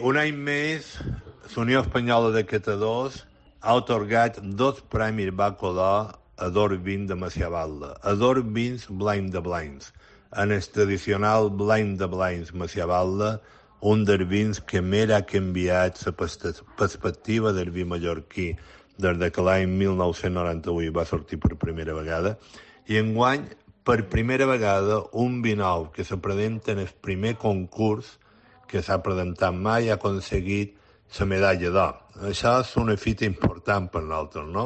Un any més, la Unió Espanyola de Catadors ha atorgat 2 premis Baco d'Or a 2 vins de Macià Balda, a 2 vins Blind de Blinds. En el tradicional Blind de Blinds Macià Balda, un dels vins que més ha canviat la perspectiva del vi mallorquí des que l'any 1998 va sortir per primera vegada, i enguany, per primera vegada, un vi nou que se presenta en el primer concurs que s'ha presentat mai ha aconseguit la medalla d'or. Això és una fita important per nosaltres, no?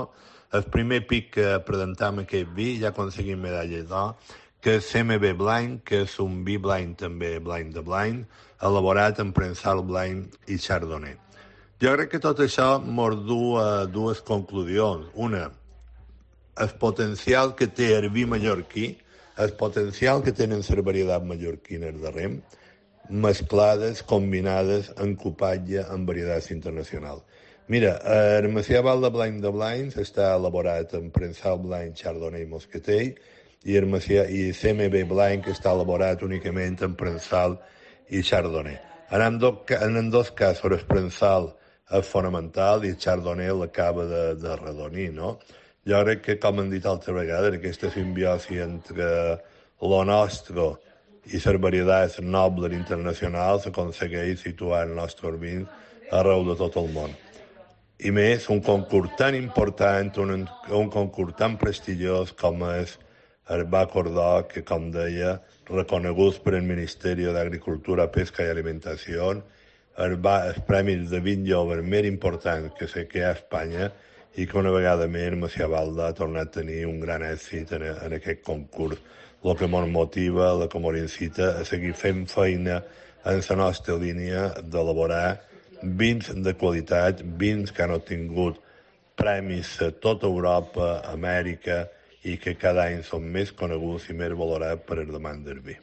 El primer pic que presentam aquest vi ja ha aconseguit medalla d'or, que és CMB Blind, que és un vi blind també, blind de blind, elaborat amb prensal blind i chardonnay. Jo crec que tot això ens du a dues conclusions. Una, el potencial que té el vi mallorquí, el potencial que tenen les varietats mallorquines de rem, mesclades, combinades en cupatge amb varietats internacionals. Mira, el Macià Balda Blind de Blinds està elaborat en prensal blind, chardonnay i moscatell, i el CMB Blind que està elaborat únicament en prensal i chardonnay. En dos casos el prensal és fonamental i el chardonnay l'acaba de redonir, no? Jo crec que, com hem dit altra vegada, aquesta simbiosi entre lo nostre i les varietats nobles internacionals s'aconsegueix situar el nostre vins arreu de tot el món. I més, un concurs tan important, un concurs tan prestigiós com és el Baco d'Or, que, com deia, reconeguts per el Ministeri d'Agricultura, Pesca i Alimentació, els premis de vin jove més importants que sé que hi ha a Espanya, i que una vegada més Macià Balda ha tornat a tenir un gran èxit en aquest concurs, el que ens motiva, el que ens incita a seguir fent feina en la nostra línia d'elaborar vins de qualitat, vins que han obtingut premis a tota Europa, Amèrica, i que cada any són més coneguts i més valorats per el demanda del vi.